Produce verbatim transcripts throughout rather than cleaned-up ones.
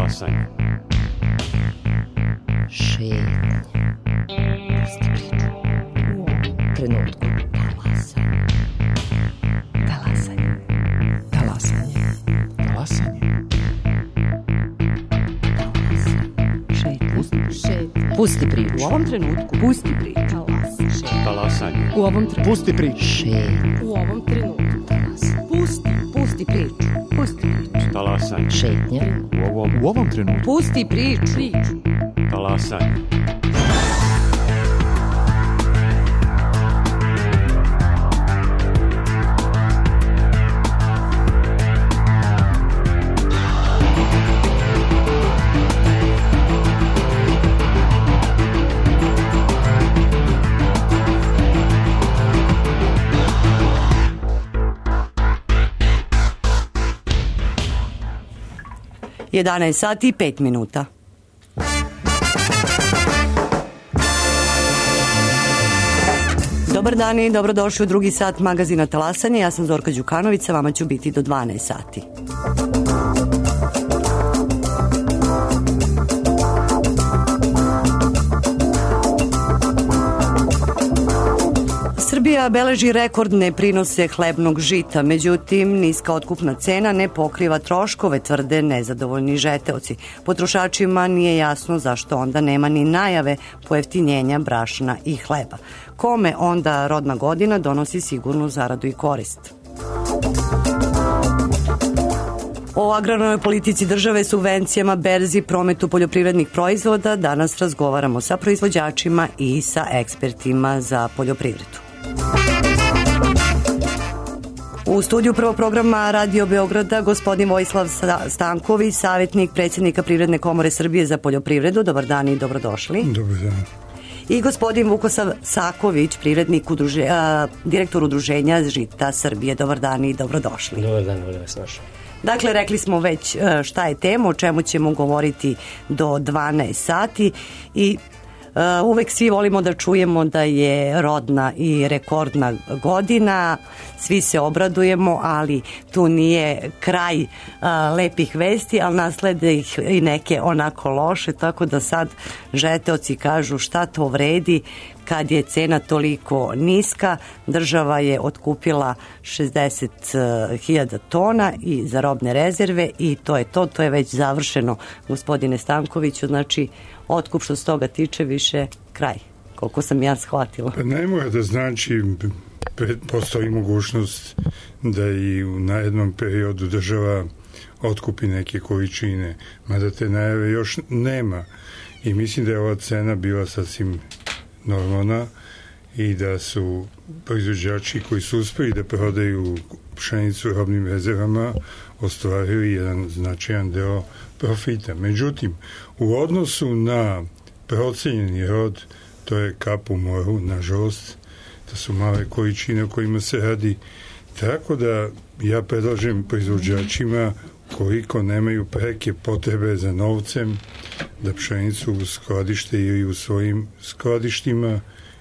Talasanje. Šetnja. Pusti priču. U ovom trenutku. Talasanje. Talasanje. Talasanje. Talasanje. Šetnja. Pusti priču. U ovom trenutku. Pusti priču. Talasanje. U ovom trenutku. Pusti priču. Šetnja. U ovom trenutku. Pusti. Pusti priču. Pusti priču. Talasanje. Šetnja. U ovom, u ovom trenutku. Pusti priču. Priču. Talasanje. jedanaest sati i pet minuta. Dobar dan i dobrodošli u drugi sat magazina Talasanje. Ja sam Zorka Đukanović, sa vama ću biti do dvanaest sati. Srbija beleži rekordne prinose hlebnog žita, međutim niska otkupna cena ne pokriva troškove, tvrde nezadovoljni žeteoci. Potrošačima nije jasno zašto onda nema ni najave pojeftinjenja brašna i hleba. Kome onda rodna godina donosi sigurnu zaradu i korist? O agrarnoj politici države, subvencijama, berzi, prometu poljoprivrednih proizvoda danas razgovaramo sa proizvođačima i sa ekspertima za poljoprivredu. U studiju prvog programa Radio Beograda gospodin Vojislav Stanković, savjetnik predsjednika Privredne komore Srbije za poljoprivredu. Dobar dan i dobrodošli. Dobar dan. I gospodin Vukosav Saković, privrednik udruže, a, direktor udruženja Žita Srbije. Dobar dan i dobrodošli. Dobar dan, volim vas našao. Dakle, rekli smo već šta je tema, o čemu ćemo govoriti do dvanaest sati i Uh, uvek svi volimo da čujemo da je rodna i rekordna godina, svi se obradujemo, ali tu nije kraj uh, lepih vesti, ali naslede ih i neke onako loše, tako da sad žeteoci kažu šta to vredi kad je cena toliko niska. Država je otkupila šezdeset hiljada tona i za robne rezerve i to je to, to je već završeno, gospodine Stankoviću, znači otkup što se toga tiče više kraj, koliko sam ja shvatila. Pa ne mora da znači, postoji mogućnost da i u najednom periodu država otkupi neke količine, mada te najave još nema i mislim da je ova cena bila sasvim normalna i da su proizvođači koji su uspeli da prodaju pšenicu robnim rezervama ostvarili jedan značajan deo profita. Međutim, u odnosu na procenjeni rod, to je kap u moru, nažalost, to su male količine o kojima se radi, tako da ja predlažem proizvođačima koliko nemaju preke potrebe za novcem da pšenicu skladište ili u svojim skladištima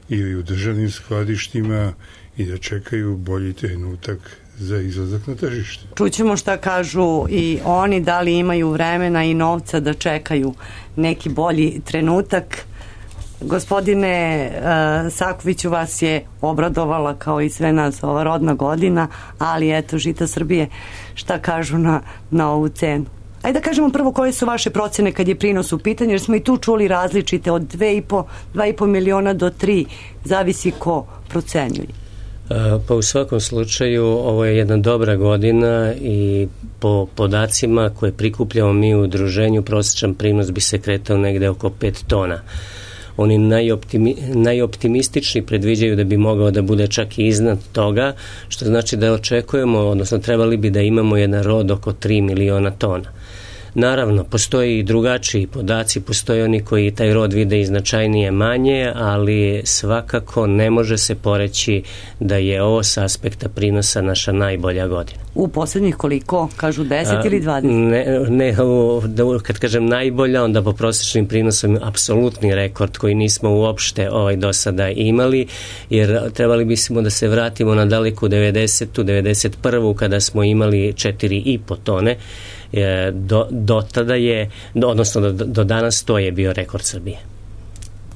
ili u državnim skladištima i da čekaju bolji trenutak za izlazak na tržište. Čućemo šta kažu i oni, da li imaju vremena i novca da čekaju neki bolji trenutak. Gospodine uh, Sakoviću, vas je obradovala kao i sve nas ova rodna godina, ali eto, Žita Srbije, šta kažu na, na ovu cenu? Ajde da kažemo prvo koje su vaše procene kad je prinos u pitanju, jer smo i tu čuli različite od dva i po miliona do tri, zavisi ko procenjuje. Pa u svakom slučaju ovo je jedna dobra godina i po podacima koje prikupljamo mi u udruženju prosječan prinos bi se kretao negde oko pet tona. Oni najoptimi, najoptimistični predviđaju da bi mogao da bude čak i iznad toga, što znači da očekujemo, odnosno trebali bi da imamo jedan rod oko tri miliona tona. Naravno, postoji i drugačiji podaci, postoje oni koji taj rod vide i značajnije manje, ali svakako ne može se poreći da je ovo s aspekta prinosa naša najbolja godina. U poslednjih koliko? Kažu deset ili dvadeset? Ne, ne da, kad kažem najbolja, onda po prosječnim prinosom apsolutni rekord koji nismo uopšte ovaj do sada imali, jer trebali bismo da se vratimo na daleku devedesetu, devedeset prvu kada smo imali četiri i po tone E, do, do tada je, odnosno do, do danas to je bio rekord Srbije.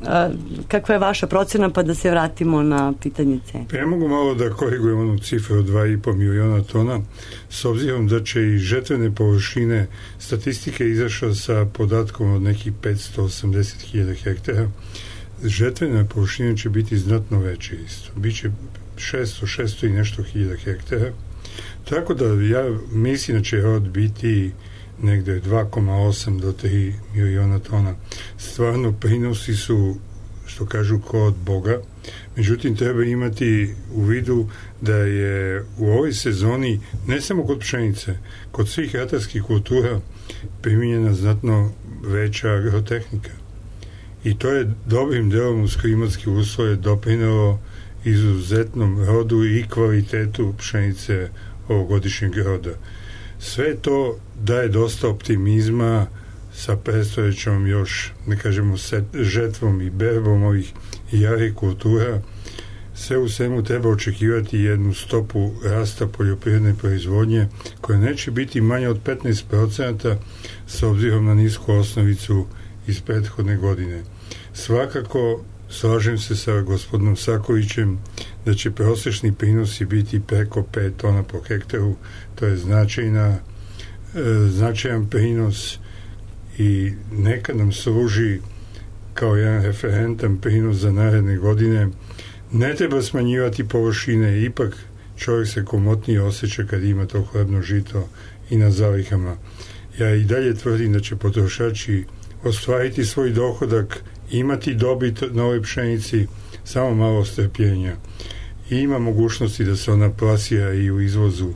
A, kakva je vaša procena, pa da se vratimo na pitanje cene? Ja mogu malo da korigujem onu cifru od dva i po miliona tona, s obzirom da će i žetvene površine, statistike izašla sa podatkom od nekih petsto osamdeset hiljada hektara, žetvene površine će biti znatno veće isto. Biće šesto, šesto i nešto hiljada hektara. Tako da ja mislim da će rod biti negde dva zarez osam do tri miliona tona. Stvarno prinosi su, što kažu, ko od Boga. Međutim, treba imati u vidu da je u ovoj sezoni, ne samo kod pšenice, kod svih ratarskih kultura primijenjena znatno veća agrotehnika. I to je dobrim delom uz klimatske uslove doprinelo izuzetnom rodu i kvalitetu pšenice ovogodišnjeg roda. Sve to daje dosta optimizma sa predstojećom još, ne kažemo, set, žetvom i berbom ovih jarih kultura. Sve u svemu treba očekivati jednu stopu rasta poljoprivredne proizvodnje koja neće biti manja od petnaest procenata s obzirom na nisku osnovicu iz prethodne godine. Svakako slažem se sa gospodinom Sakovićem da će prosječni prinosi biti preko pet tona po hektaru. To je značajna, e, značajan prinos i neka nam služi kao jedan referentan prinos za naredne godine. Ne treba smanjivati površine, ipak čovjek se komotnije osjeća kad ima to hlebno žito i na zalihama. Ja i dalje tvrdim da će potrošači ostvariti svoj dohodak, imati dobit na ovoj pšenici, samo malo strpljenja. I ima mogućnosti da se ona plasira i u izvozu.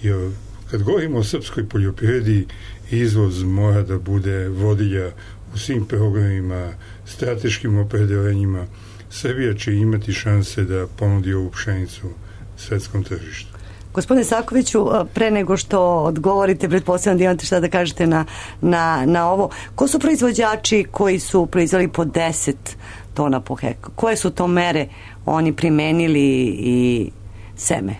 Jer kad govorimo o srpskoj poljoprivredi, izvoz mora da bude vodilja u svim programima, strateškim opredeljenjima. Srbija će imati šanse da ponudi ovu pšenicu svetskom tržištu. Gospodine Sakoviću, pre nego što odgovorite, pretpostavljam da imate šta da kažete na, na, na ovo. Ko su proizvođači koji su proizveli po deset tona po hektaru? Koje su to mere oni primenili i seme?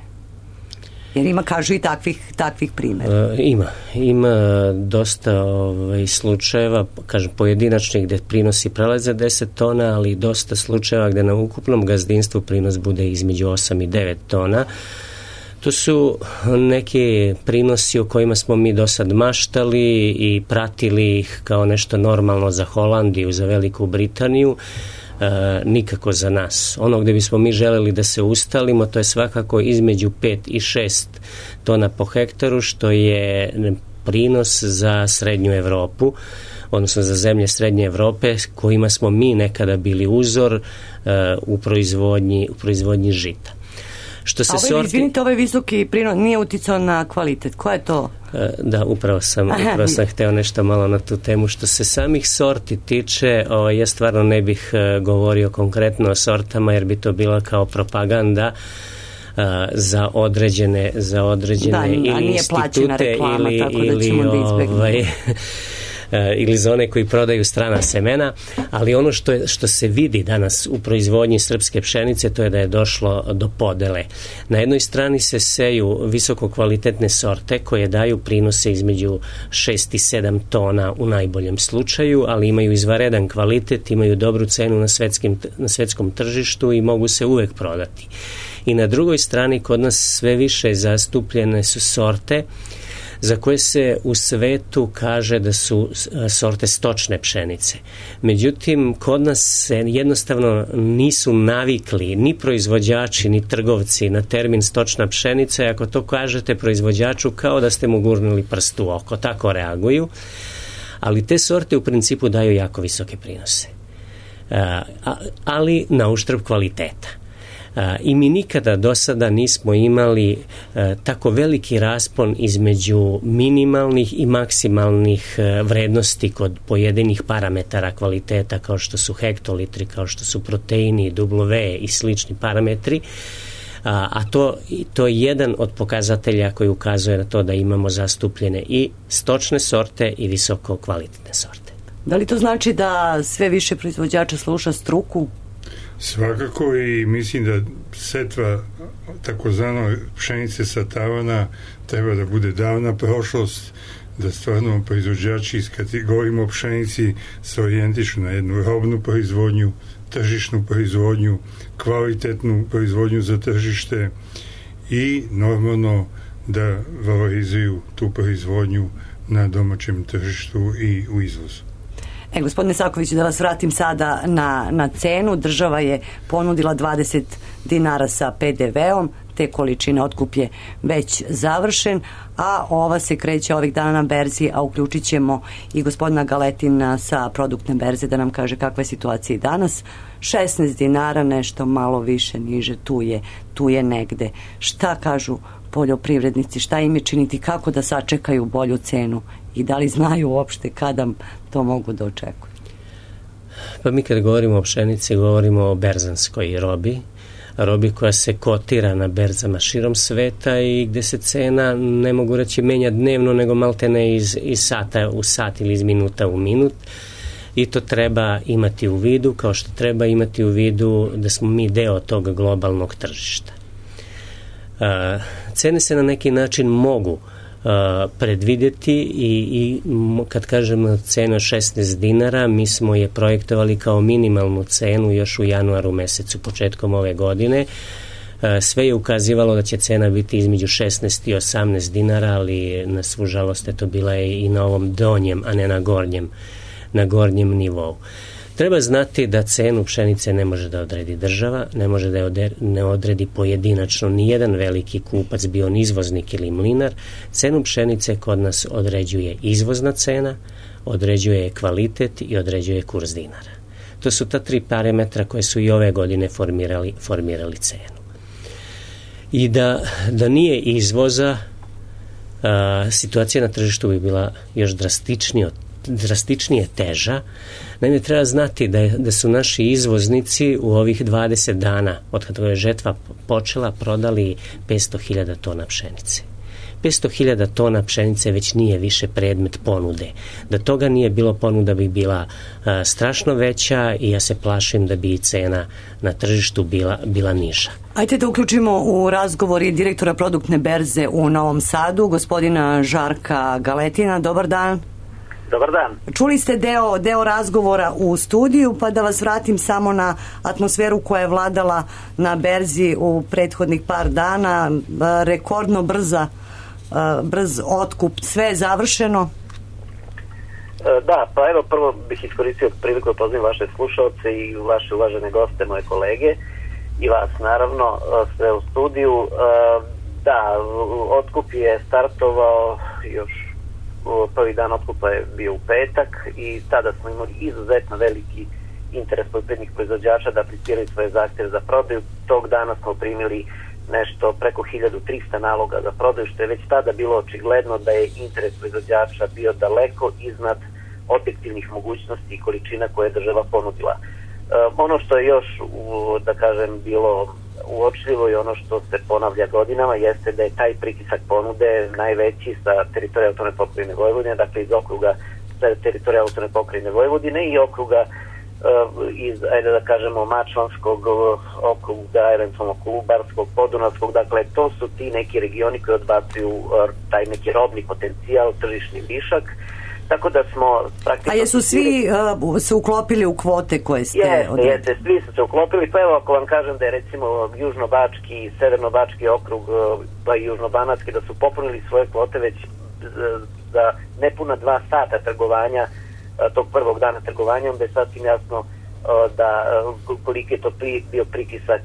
Jer ima, kažu, i takvih, takvih primjera. E, ima. Ima dosta ovaj, slučajeva, kažem, pojedinačnih gde prinosi prelaze deset tona, ali dosta slučajeva gde na ukupnom gazdinstvu prinos bude između osam i devet tona. To su neki prinosi o kojima smo mi do sad maštali i pratili ih kao nešto normalno za Holandiju, za Veliku Britaniju. E, nikako za nas. Ono gde bismo mi želeli da se ustalimo, to je svakako između pet i šest tona po hektaru, što je prinos za srednju Evropu, odnosno za zemlje srednje Evrope, kojima smo mi nekada bili uzor e, u proizvodnji, u proizvodnji žita. Što se A ovaj, sorti... izvinite, ovaj visoki prinos nije uticao na kvalitet. Ko je to? Da, upravo sam, upravo sam hteo nešto malo na tu temu. Što se samih sorti tiče, o, ja stvarno ne bih uh, govorio konkretno o sortama, jer bi to bila kao propaganda uh, za određene, za određene da, ili institute reklama, ili, tako da ili ćemo da ovaj, ili za one koji prodaju strana semena, ali ono što, je, što se vidi danas u proizvodnji srpske pšenice, to je da je došlo do podele. Na jednoj strani se seju visoko kvalitetne sorte koje daju prinose između šest i sedam tona u najboljem slučaju, ali imaju izvaredan kvalitet, imaju dobru cenu na, svetskim, na svetskom tržištu i mogu se uvek prodati. I na drugoj strani kod nas sve više zastupljene su sorte za koje se u svetu kaže da su sorte stočne pšenice. Međutim, kod nas se jednostavno nisu navikli ni proizvođači, ni trgovci na termin stočna pšenica, i ako to kažete proizvođaču, kao da ste mu gurnuli prst u oko, tako reaguju. Ali te sorte u principu daju jako visoke prinose. Ali na uštrb kvaliteta. I mi nikada do sada nismo imali e, tako veliki raspon između minimalnih i maksimalnih e, vrednosti kod pojedinih parametara kvaliteta, kao što su hektolitri, kao što su proteini, W i slični parametri, a, a to, to je jedan od pokazatelja koji ukazuje na to da imamo zastupljene i stočne sorte i visoko kvalitetne sorte. Da li to znači da sve više proizvođača sluša struku? Svakako, i mislim da setva takozvano pšenice sa tavana treba da bude davna prošlost, da stvarno proizvođači, kad govorimo o pšenici, se orijentišu na jednu robnu proizvodnju, tržišnu proizvodnju, kvalitetnu proizvodnju za tržište i normalno da valorizuju tu proizvodnju na domaćem tržištu i u izvozu. E, gospodine Saković, da vas vratim sada na, na cenu. Država je ponudila dvadeset dinara sa pe de veom, te količine otkup je već završen, a ova se kreće ovih dana na berzi, a uključit ćemo i gospodina Galetina sa produktne berze da nam kaže kakva je situacija i danas. šesnaest dinara, nešto malo više, niže, tu je, tu je negde. Šta kažu poljoprivrednici, šta im je činiti, kako da sačekaju bolju cenu i da li znaju uopšte kada to mogu da očekuju? Pa mi kad govorimo o pšenici, govorimo o berzanskoj robi, robi koja se kotira na berzama širom sveta i gde se cena, ne mogu reći menja dnevno, nego maltene iz, iz sata u sat ili iz minuta u minut. I to treba imati u vidu, kao što treba imati u vidu da smo mi deo tog globalnog tržišta. Uh, cene se na neki način mogu uh, predvidjeti i, i kad kažemo cena šesnaest dinara, mi smo je projektovali kao minimalnu cenu još u januaru mesecu, početkom ove godine. Uh, sve je ukazivalo da će cena biti između šesnaest i osamnaest dinara, ali na svu žalost je to bila i na ovom donjem, a ne na gornjem, na gornjem nivou. Treba znati da cenu pšenice ne može da odredi država, ne može da je ne odredi pojedinačno ni jedan veliki kupac, bio on izvoznik ili mlinar. Cenu pšenice kod nas određuje izvozna cena, određuje kvalitet i određuje kurs dinara. To su ta tri parametra koje su i ove godine formirali, formirali cenu. I da, da nije izvoza, a, situacija na tržištu bi bila još drastičnija od drastičnije teža. Naime, treba znati da, je, da su naši izvoznici u ovih dvadeset dana od kada je žetva počela prodali petsto hiljada tona pšenice. petsto hiljada tona pšenice već nije više predmet ponude. Da toga nije bilo, ponuda bi bila a, strašno veća i ja se plašim da bi i cena na tržištu bila, bila niža. Ajde da uključimo u razgovor i direktora produktne berze u Novom Sadu, gospodina Žarka Galetina. Dobar dan. Dobar dan. Čuli ste deo, deo razgovora u studiju, pa da vas vratim samo na atmosferu koja je vladala na berzi u prethodnih par dana. Rekordno brza, brz otkup, sve je završeno? Da, pa evo prvo bih iskoristio priliku da pozivam vaše slušalce i vaše uvažene goste, moje kolege i vas naravno, sve u studiju. Da, otkup je startovao još prvi dan otkupa je bio u petak i tada smo imali izuzetno veliki interes poljoprivrednih proizvođača da apliciraju svoje zahtjeve za prodaju. Tog dana smo primili nešto preko hiljadu trista naloga za prodaju, što je već tada bilo očigledno da je interes proizvođača bio daleko iznad objektivnih mogućnosti i količina koje je država ponudila. E, ono što je još, u, da kažem, bilo uočljivo i ono što se ponavlja godinama jeste da je taj pritisak ponude najveći sa teritorija autonomne pokrajine Vojvodine, dakle iz okruga teritorija autonomne pokrajine Vojvodine i okruga uh, iz, ajde da kažemo, Mačvanskog okruga, eventualno Kolubarskog, Podunavskog, dakle to su ti neki regioni koji odbacuju uh, taj neki robni potencijal, tržišni višak. Tako da smo praktično... A jesu svi uh, se uklopili u kvote koje ste jeste, odredili? Jeste, svi su se uklopili. Pa evo ako vam kažem da je recimo Južnobački i Severnobački okrug, pa i Južnobanatski, da su popunili svoje kvote već za nepuna dva sata trgovanja, tog prvog dana trgovanja, onda je sasvim jasno da koliki je to bio pritisak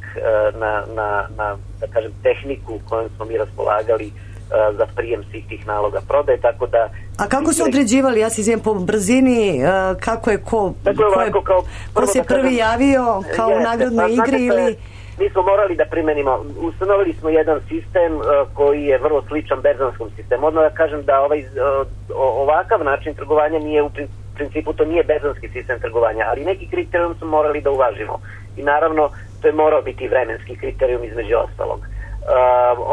na, na, na da kažem, tehniku kojom smo mi raspolagali za prijem svih tih naloga prodaje, tako da... A kako su određivali, ja se izvijem po brzini, kako je ko, dakle, ko, ovako, je, kao, ko se prvi kažem, javio kao jeste, u nagradnoj pa, igri ili... Mi smo morali da primenimo, ustanovili smo jedan sistem uh, koji je vrlo sličan berzanskom sistemu. Odmah da kažem da ovaj, uh, ovakav način trgovanja nije u principu, to nije berzanski sistem trgovanja, ali neki kriterijum smo morali da uvažimo. I naravno, to je morao biti vremenski kriterijum između ostalog. Uh,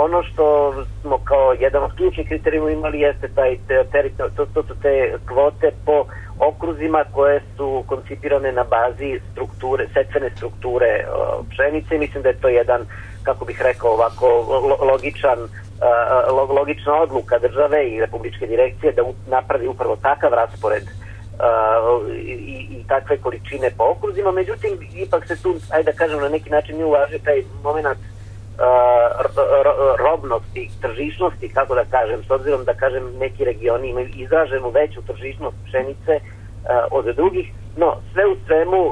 ono što smo kao jedan od ključnih kriterijuma imali jeste taj te, te, to, to su te kvote po okruzima koje su koncipirane na bazi strukture, setvene strukture uh, pšenice. Mislim da je to jedan kako bih rekao, ovako logičan, logična odluka države i republičke direkcije da napravi upravo takav raspored i, i takve količine po okruzima. Međutim, ipak se tu, ajde da kažem, na neki način ne uvaži taj moment robnosti, tržišnosti, kako da kažem, s obzirom da kažem neki regioni imaju izraženu veću tržišnost pšenice od drugih, no sve u svemu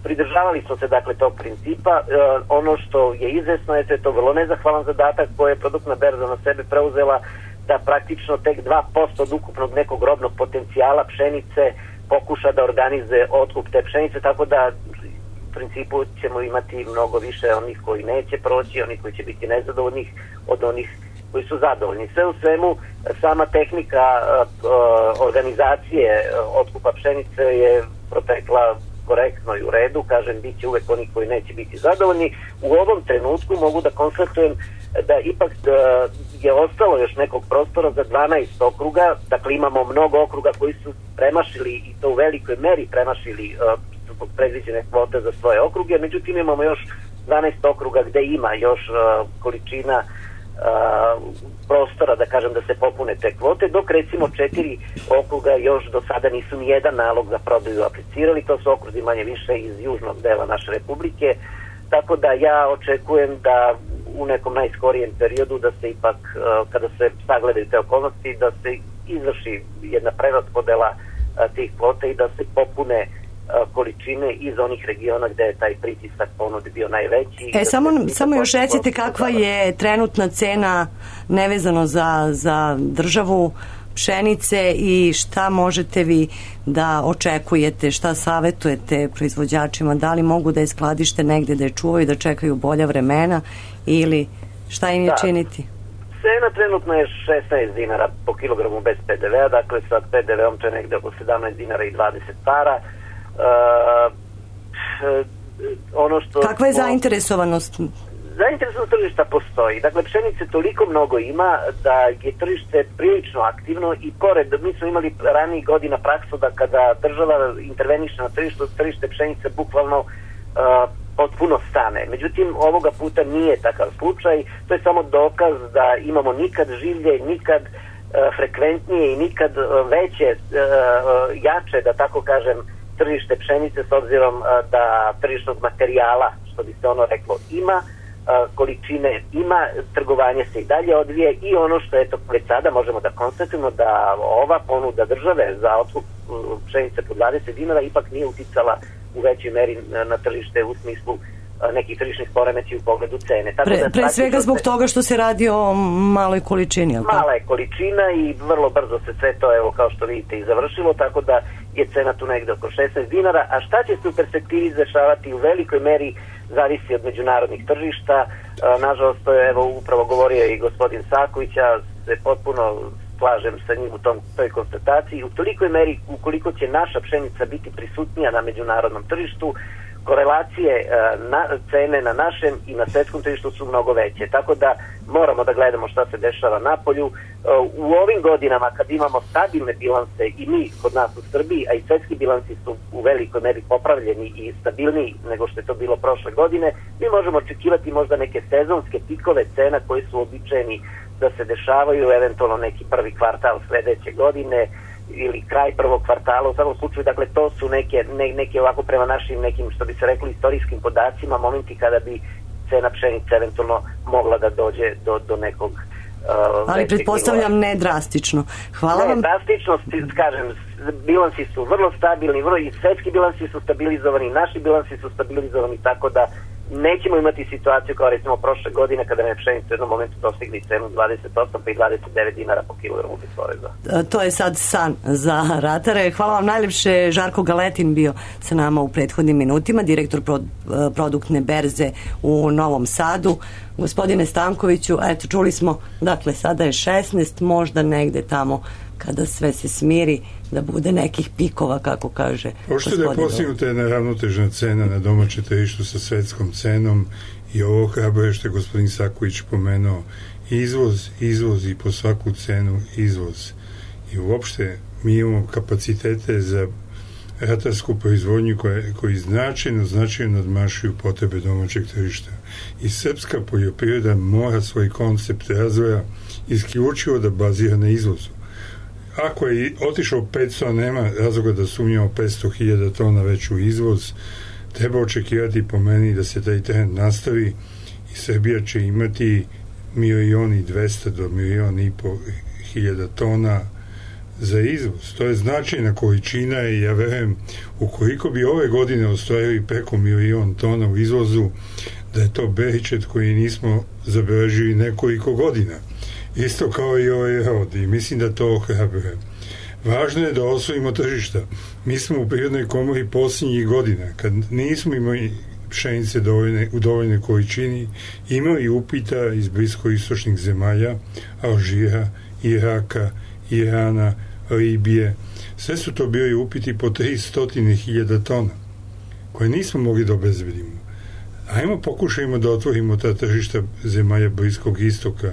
pridržavali smo se dakle tog principa. Ono što je izvesno je da je to vrlo nezahvalan zadatak koje je produktna berza na sebe preuzela, da praktično tek dva posto od ukupnog nekog robnog potencijala pšenice pokuša da organizuje otkup te pšenice, tako da u principu ćemo imati mnogo više onih koji neće proći, onih koji će biti nezadovoljnih od onih koji su zadovoljni. Sve u svemu, sama tehnika uh, organizacije otkupa pšenice je protekla korektno i u redu, kažem, bit će uvek oni koji neće biti zadovoljni. U ovom trenutku mogu da konstatujem da ipak uh, je ostalo još nekog prostora za dvanaest okruga, dakle imamo mnogo okruga koji su premašili i to u velikoj meri premašili uh, predviđene kvote za svoje okruge, međutim imamo još dvanaest okruga gde ima još uh, količina uh, prostora, da kažem, da se popune te kvote, dok recimo četiri okruga još do sada nisu ni jedan nalog za prodaju aplicirali, to su okruzi manje više iz južnog dela naše republike, tako da ja očekujem da u nekom najskorijem periodu da se ipak, uh, kada se sagledaju te okolnosti, da se izvrši jedna preraspodela uh, tih kvota i da se popune količine iz onih regiona gde je taj pritisak ponude bio najveći. E, samo, samo još recite kakva je trenutna cena nevezano za, za državu pšenice i šta možete vi da očekujete, šta savetujete proizvođačima, da li mogu da je skladište negde da je čuvaju, da čekaju bolja vremena ili šta im je da činiti? Cena trenutno je šesnaest dinara po kilogramu bez pe de vea, dakle sa pe de veom to je negde oko sedamnaest dinara i dvadeset para. Uh, ono što kakva je zainteresovanost? Zainteresovanost tržišta postoji. Dakle, pšenice toliko mnogo ima da je tržište prilično aktivno i pored, mi smo imali ranijih godina praksu da kada država interveniše na tržištu, tržište pšenice bukvalno uh, potpuno stane. Međutim, ovoga puta nije takav slučaj. To je samo dokaz da imamo nikad življe, nikad uh, frekventnije i nikad uh, veće, uh, jače, da tako kažem, tržište pšenice, s obzirom uh, da tržišnog materijala, što bi se ono reklo, ima, uh, količine ima, trgovanje se i dalje odvije i ono što je to već sada možemo da konstatujemo da ova ponuda države za otkup uh, pšenice po dvadeset dinara ipak nije uticala u većoj meri na, na tržište u smislu uh, nekih tržišnih poremećaja u pogledu cene. Tako pre, da, pre svega zbog se, toga što se radi o maloj količini. Mala je količina i vrlo brzo se sve to, evo, kao što vidite, i završilo, tako da je cena tu negde oko šesnaest dinara, a šta će se u perspektivi dešavati u velikoj meri zavisi od međunarodnih tržišta. E, nažalost, to je, evo, upravo govorio i gospodin Saković, ja se potpuno slažem sa njim u tom, toj konstataciji. U tolikoj meri, ukoliko će naša pšenica biti prisutnija na međunarodnom tržištu, korelacije na, cene na našem i na svetskom tržištu su mnogo veće. Tako da moramo da gledamo šta se dešava na polju. U ovim godinama kad imamo stabilne bilanse i mi kod nas u Srbiji, a i svetski bilansi su u velikoj meri popravljeni i stabilniji nego što je to bilo prošle godine, mi možemo očekivati možda neke sezonske pikove cena koji su običajni da se dešavaju, eventualno neki prvi kvartal sledeće godine ili kraj prvog kvartala. U svakom slučaju, dakle, to su neke, ne, neke ovako prema našim nekim, što bi se rekli, istorijskim podacima, momenti kada bi cena pšenice eventualno mogla da dođe do, do nekog uh, ali pretpostavljam ne drastično. Hvala ne vam. drastično, kažem, bilansi su vrlo stabilni, vrlo i svetski bilansi su stabilizovani, naši bilansi su stabilizovani, tako da nećemo imati situaciju kao recimo prošle godine kada je pšenica u jednom momentu dostigli cenu dvadeset osam pa i dvadeset devet dinara po kilogramu bez poreza. To je sad san za ratare. Hvala vam najlepše. Žarko Galetin bio sa nama u prethodnim minutima, direktor pro, produktne berze u Novom Sadu. Gospodine Stankoviću, eto, čuli smo, dakle, sada je šesnaest, možda negde tamo kada sve se smiri, da bude nekih pikova, kako kaže Pošto da je postignuta jedna ravnotežna cena na domaće tržištu sa svetskom cenom i ovo hrabruje što je gospodin Saković pomenuo, izvoz, izvoz i po svaku cenu izvoz. I uopšte mi imamo kapacitete za ratarsku proizvodnju koja, koji značajno, značajno nadmašuju potrebe domaćeg tržišta. I srpska poljoprivreda mora svoj koncept razvoja isključivo da bazira na izvozu. Ako je otišao petsto, nema razloga da sumnjamo petsto hiljada tona već u izvoz, treba očekivati po meni da se taj trend nastavi i Srbija će imati milion i dvesta do milion i po hiljada tona za izvoz. To je značajna količina i ja verujem ukoliko bi ove godine ostvarili preko milion tona u izvozu, da je to beričet koji nismo zabeležili nekoliko godina. Isto kao i ovaj rod i mislim da to ohrabruje. Važno je da osvojimo tržišta. Mi smo u Prirodnoj komori posljednjih godina, kad nismo imali pšenice dovoljne, u dovoljnoj količini, imali upita iz bliskoistočnih zemalja, Alžira, Iraka, Irana, Libije. Sve su to bili upiti po tristo hiljada tona, koje nismo mogli da obezbedimo. Ajmo pokušajmo da otvorimo ta tržišta zemalja Bliskog istoka.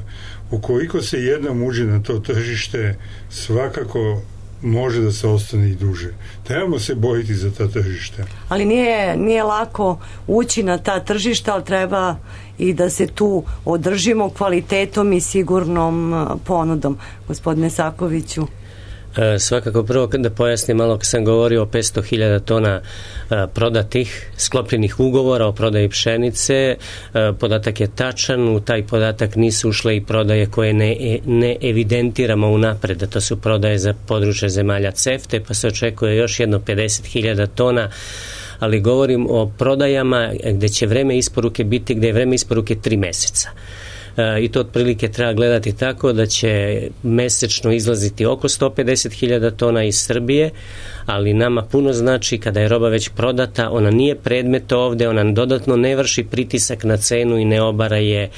Ukoliko se jednom uđe na to tržište, svakako može da se ostane i duže. Trebamo se boriti za ta tržišta. Ali nije, nije lako ući na ta tržišta, ali treba i da se tu održimo kvalitetom i sigurnom ponudom. Gospodine Sakoviću. E, svakako prvo da pojasnim malo kad sam govorio o petsto hiljada tona e, prodatih, sklopljenih ugovora o prodaji pšenice, e, podatak je tačan, u taj podatak nisu ušle i prodaje koje ne, ne evidentiramo unapred, da to su prodaje za područje zemalja CEFTE, pa se očekuje još jedno pedeset hiljada tona, ali govorim o prodajama gde će vreme isporuke biti, gde je vreme isporuke tri meseca. I to otprilike treba gledati tako da će mesečno izlaziti oko sto pedeset hiljada tona iz Srbije, ali nama puno znači kada je roba već prodata, ona nije predmet ovde, ona dodatno ne vrši pritisak na cenu i ne obara je e,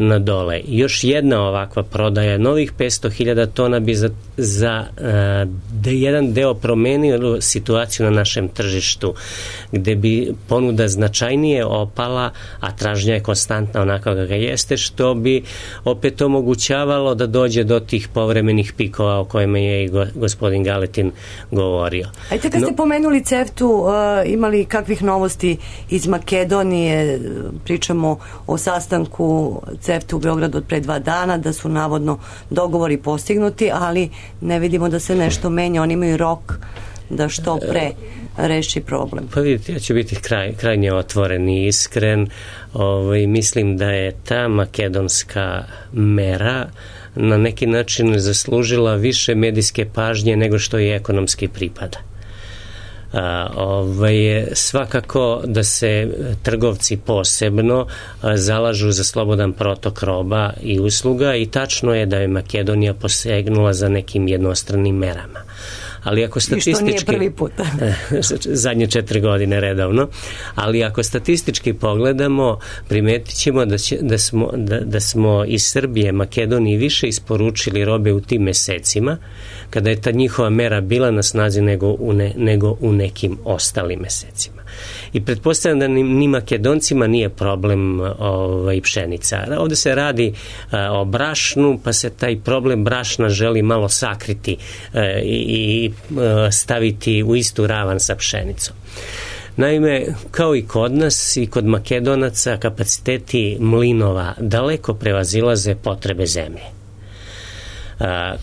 na dole. Još jedna ovakva prodaja novih petsto hiljada tona bi za, za e, de, jedan deo promenio situaciju na našem tržištu, gde bi ponuda značajnije opala, a tražnja je konstantna onako ga jeste, što bi opet omogućavalo da dođe do tih povremenih pikova o kojima je i go, gospodin Galetin govorio. Ajte, kad no, ste pomenuli CEFTU, uh, imali kakvih novosti iz Makedonije? Pričamo o sastanku CEFTU u Beogradu od pre dva dana, da su navodno dogovori postignuti, ali ne vidimo da se nešto menja. Oni imaju rok da što pre reši problem. Pa vidite, ja ću biti kraj, krajnje otvoren i iskren. Ovaj, mislim da je ta makedonska mera na neki način zaslužila više medijske pažnje nego što je ekonomski pripada. A, ovaj, svakako da se trgovci posebno a, zalažu za slobodan protok roba i usluga i tačno je da je Makedonija posegnula za nekim jednostranim merama. Ali ako statistički... I što nije prvi put. zadnje četiri godine redovno. Ali ako statistički pogledamo, primetit ćemo da, će, da, smo, da, da smo iz Srbije Makedoniji više isporučili robe u tim mesecima, kada je ta njihova mera bila na snazi nego u, ne, nego u nekim ostalim mesecima. I pretpostavljam da ni, ni Makedoncima nije problem ovaj, pšenica. Ovde se radi a, o brašnu, pa se taj problem brašna želi malo sakriti a, i staviti u istu ravan sa pšenicom. Naime, kao i kod nas i kod Makedonaca, kapaciteti mlinova daleko prevazilaze potrebe zemlje.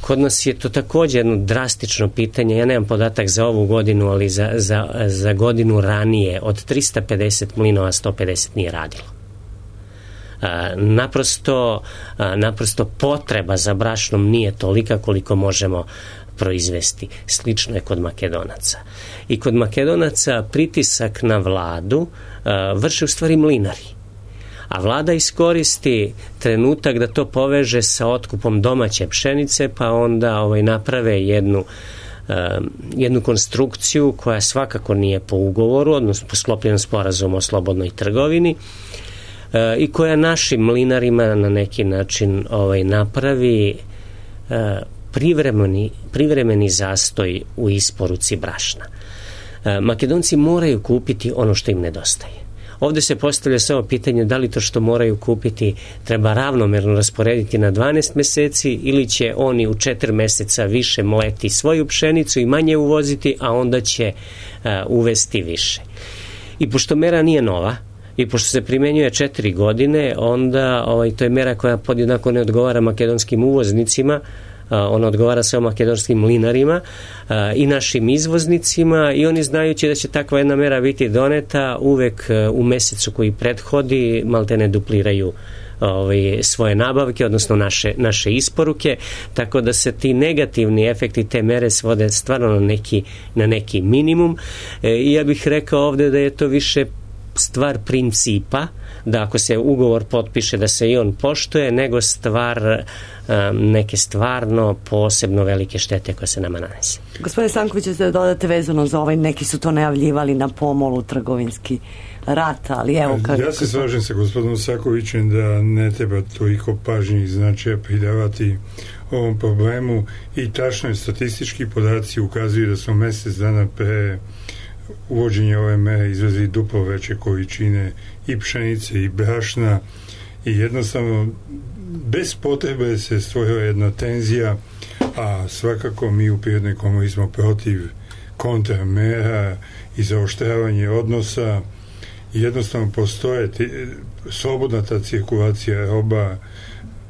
Kod nas je to također jedno drastično pitanje, ja nemam podatak za ovu godinu, ali za, za, za godinu ranije od trista pedeset mlinova sto pedeset nije radilo. Naprosto, naprosto potreba za brašnom nije tolika koliko možemo proizvesti. Slično je kod Makedonaca. I kod Makedonaca pritisak na vladu a, vrše u stvari mlinari. A vlada iskoristi trenutak da to poveže sa otkupom domaće pšenice, pa onda ovaj, naprave jednu, a, jednu konstrukciju koja svakako nije po ugovoru, odnosno po sklopljenom sporazumu o slobodnoj trgovini, a, i koja našim mlinarima na neki način ovaj, napravi a, privremeni, privremeni zastoj u isporuci brašna. Makedonci moraju kupiti ono što im nedostaje. Ovdje se postavlja samo pitanje da li to što moraju kupiti treba ravnomerno rasporediti na dvanaest mjeseci ili će oni u četiri mjeseca više mleti svoju pšenicu i manje uvoziti, a onda će uh, uvesti više. I pošto mera nije nova i pošto se primjenjuje četiri godine, onda ovaj, to je mera koja podjednako ne odgovara makedonskim uvoznicima, ona odgovara samo makedonskim mlinarima i našim izvoznicima, i oni znajući da će takva jedna mera biti doneta uvek u mjesecu koji prethodi maltene dupliraju ovaj, svoje nabavke, odnosno naše, naše isporuke, tako da se ti negativni efekti te mere svode stvarno na neki, na neki minimum. I ja bih rekao ovdje da je to više stvar principa, da ako se ugovor potpiše da se i on poštuje, nego stvar um, neke stvarno posebno velike štete koje se nama nanese. Gospodine Stanković, da dodate vezano za ovaj, neki su to najavljivali na pomolu trgovinski rat, ali evo kako... Ja se slažem sa gospodinom Sakovićem da ne treba toliko pažnje i značaja pridavati ovom problemu, i tačno je, statistički podaci ukazuju da smo mjesec dana pre uvođenje ove mere izvezi duplo veće količine i pšenice i brašna, i jednostavno bez potrebe se stvorila jedna tenzija, a svakako mi u Prirodnoj komori smo protiv kontramera i zaoštravanje odnosa. Jednostavno postoje ti, slobodna ta cirkulacija roba,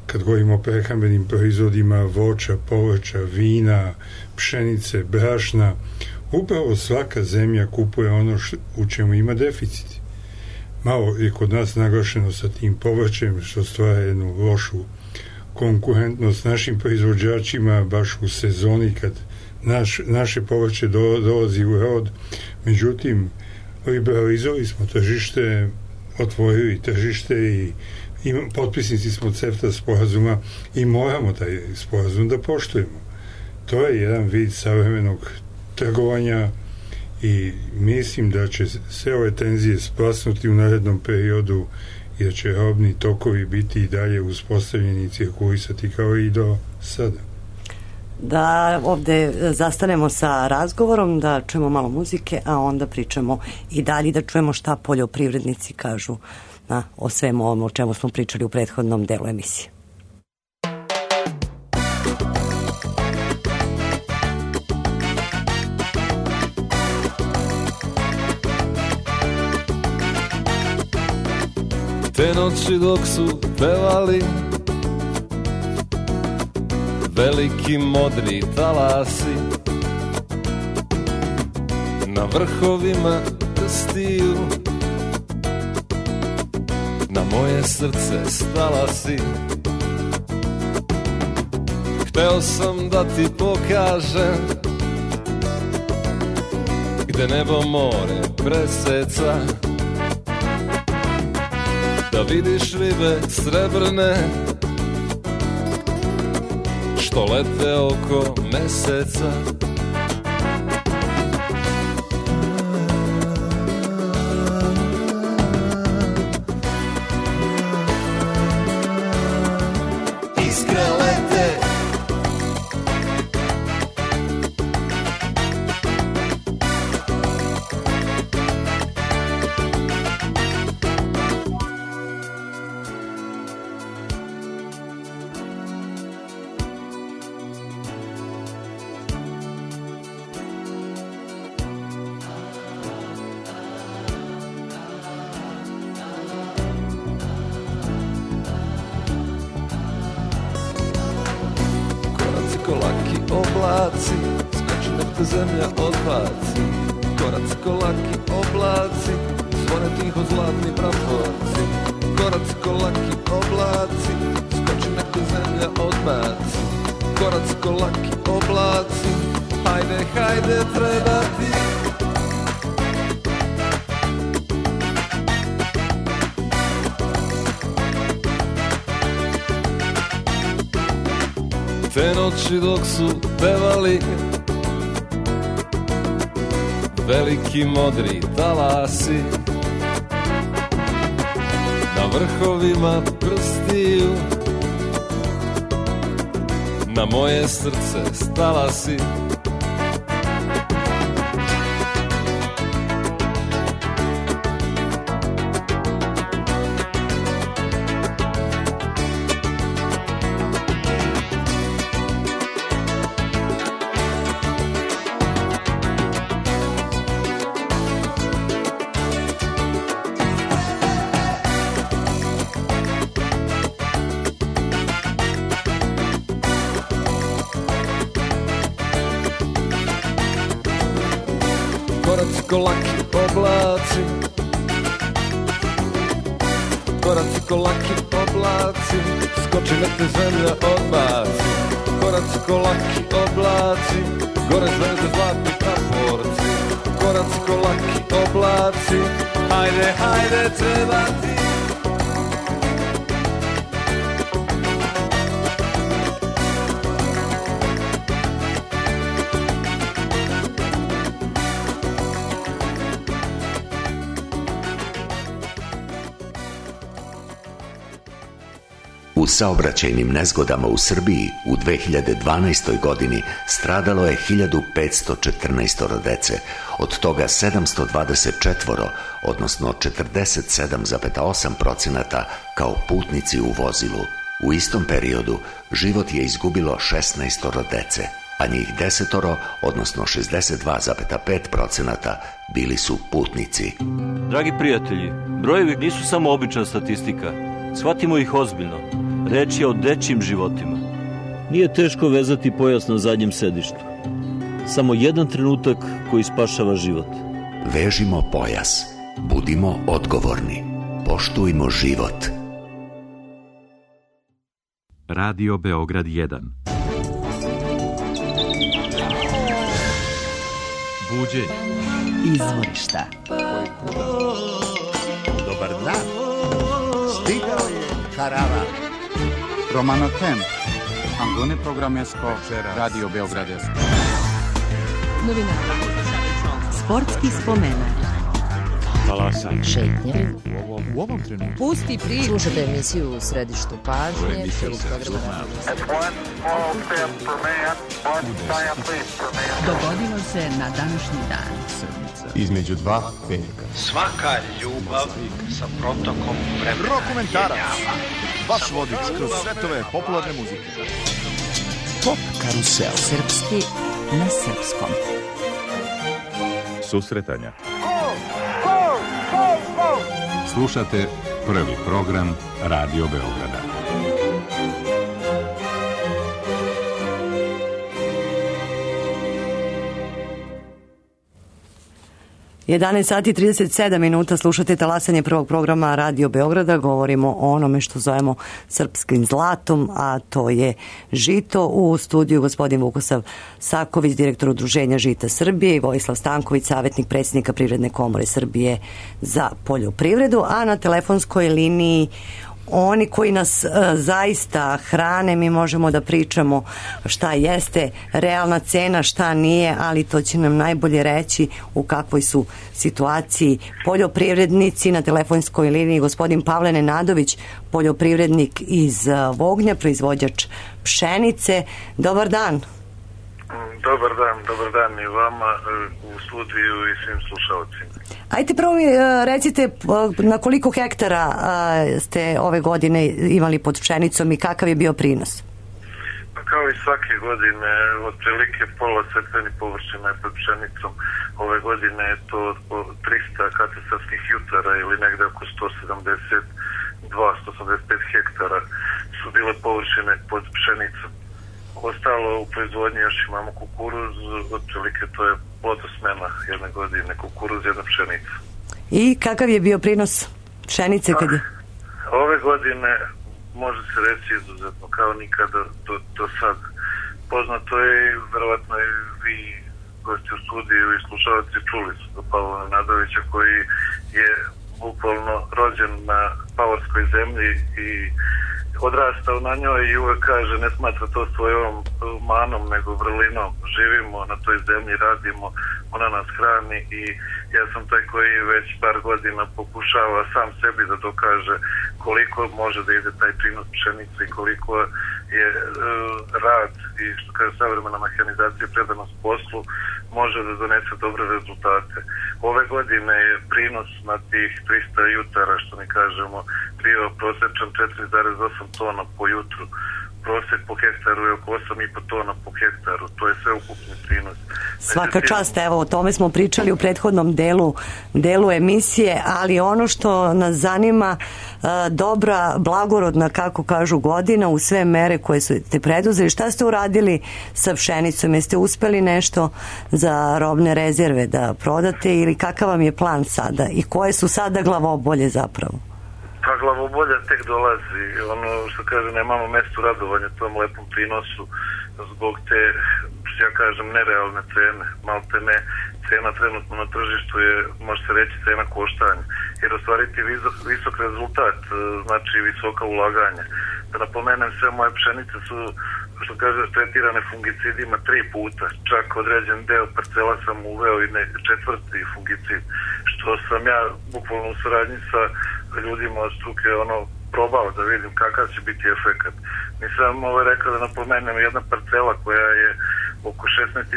kad govorimo o prehrambenim proizvodima, voća, povrća, vina, pšenice, brašna. Upravo svaka zemlja kupuje ono š, u čemu ima deficit. Malo je kod nas naglašeno sa tim povrćem, što stvara jednu lošu konkurentnost našim proizvođačima baš u sezoni kad naš, naše povrće do, dolazi u rod. Međutim, liberalizovali smo tržište, otvorili tržište i, i potpisnici smo CEFTA sporazuma i moramo taj sporazum da poštujemo. To je jedan vid savremenog trgovanja i mislim da će sve ove tenzije splasnuti u narednom periodu i da će robni tokovi biti i dalje uspostavljeni i cirkulisati kao i do sada. Da ovdje zastanemo sa razgovorom, da čujemo malo muzike, a onda pričamo i dalje, da čujemo šta poljoprivrednici kažu na, o svemu ovom o čemu smo pričali u prethodnom delu emisije. Te noći dok su pevali veliki modri talasi, na vrhovima prstiju na moje srce stala si. Hteo sam da ti pokažem gde nebo more preseca, da vidiš ribe srebrne što lete oko meseca. Iskre lete, oblaci, skoči nek te zemlja odbaci. Koraci ko laki oblaci, zvone tiho zlatni praporci. Koraci ko laki oblaci, skoči nek te zemlja odbaci. Koraci ko laki oblaci, hajde, hajde, treba ti. Te noći dok su pevali veliki modri talasi, na vrhovima prstiju na moje srce stala si. ko laki oblaci, koraci ko laki oblaci, skoči nek te zemlja odbaci. Koraci ko laki oblaci, gore zvezde zlatni praporci. Koraci ko laki oblaci, hajde, hajde, treba ti. U saobraćajnim nezgodama u Srbiji u dve hiljade dvanaestoj. godini stradalo je hiljadu petsto četrnaest dece, od toga sedamsto dvadeset četiri, odnosno četrdeset sedam zarez osam procenata kao putnici u vozilu. U istom periodu život je izgubilo šesnaest dece, a njih desetoro, odnosno šezdeset dva zarez pet procenata, bili su putnici. Dragi prijatelji, brojevi nisu samo obična statistika. Shvatimo ih ozbiljno. Reč je o dečjim životima. Nije teško vezati pojas na zadnjem sedištu. Samo jedan trenutak koji spašava život. Vežimo pojas. Budimo odgovorni. Poštujmo život. Radio Beograd jedan. Buđenje. Izvorišta. Dobar dan. Stigao je Karava. Romano Tem. Angone Programesko. Radio Beogradesko. Novinari. Sportski spomenak. Talasanje. Šetnje. U ovom, u ovom trenutku. Pusti priču. Slušajte emisiju u središtu pažnje. Dogodilo se na današnji dan. Između dva petka. Svaka ljubav sa protokom vremena. Rokomentarac. Vaš vodič kroz svetove popularne muzike. Pop karusel. Srpski na srpskom. Susretanja. Slušate prvi program Radio Beograda. jedanaest sati i trideset sedam minuta, slušate talasanje prvog programa Radio Beograda. Govorimo o onome što zovemo srpskim zlatom, a to je žito. U studiju gospodin Vukosav Saković, direktor Udruženja Žita Srbije, i Vojislav Stanković, savjetnik predsjednika Privredne komore Srbije za poljoprivredu, a na telefonskoj liniji oni koji nas e, zaista hrane. Mi možemo da pričamo šta jeste realna cena, šta nije, ali to će nam najbolje reći u kakvoj su situaciji poljoprivrednici. Na telefonskoj liniji gospodin Pavle Nenadović, poljoprivrednik iz Vognja, proizvođač pšenice. Dobar dan. Dobar dan, dobar dan i vama u studiju i svim slušalcima. Ajte prvo mi recite na koliko hektara ste ove godine imali pod pšenicom i kakav je bio prinos? Pa kao i svake godine, otprilike pola setvenih površina je pod pšenicom. Ove godine je to trista katastarskih jutara ili negde oko sto sedamdeset dva do sto osamdeset pet hektara su bile površine pod pšenicom. Ostalo u proizvodnji još imamo kukuruz, otprilike to je plodosmena jedne godine, kukuruz, jedna pšenica. I kakav je bio prinos pšenice kad je? Ove godine može se reći izuzetno kao nikada do, do sad. Poznato je i verovatno i vi gosti u studiju i slušalci čuli su do Pavla Nenadovića koji je bukvalno rođen na pavorskoj zemlji i odrastao na njoj i uvek kaže ne smatra to svojom manom nego vrlinom. Živimo na toj zemlji, radimo, ona nas hrani i ja sam taj koji već par godina pokušava sam sebi da dokaže koliko može da ide taj prinos pšenice i koliko je uh, rad i što kaže savremena mehanizacija, predanost poslu može da donese dobre rezultate. Ove godine je prinos na tih trista jutara, što mi kažemo, bio prosječan četiri zarez osam tona po jutru. prosjek po hektaru je oko osam i po tona po hektaru, to je sve ukupni prinos. Svaka čast, evo o tome smo pričali u prethodnom delu, delu emisije, ali ono što nas zanima, dobra, blagorodna, kako kažu, godina u sve mere koje ste preduzeli. Šta ste uradili sa pšenicom? Jeste uspeli nešto za robne rezerve da prodate ili kakav vam je plan sada i koje su sada glavobolje zapravo? Pa glavobolja tek dolazi, ono što kaže, nemamo mesto radovanja tom lepom prinosu zbog te, ja kažem, nerealne cene, malte ne, cena trenutno na tržištu je, može se reći, cena koštanja, jer ostvariti visok, visok rezultat znači visoka ulaganja. Da napomenem, sve moje pšenice su, što kaže, tretirane fungicidima tri puta, čak određen deo parcela sam uveo i ne, četvrti fungicid, što sam ja bukvalno u saradnji sa ljudima od struke ono probao da vidim kakav će biti efekat. Nisam ovo rekao da napomenem, jedna parcela koja je oko šesnaest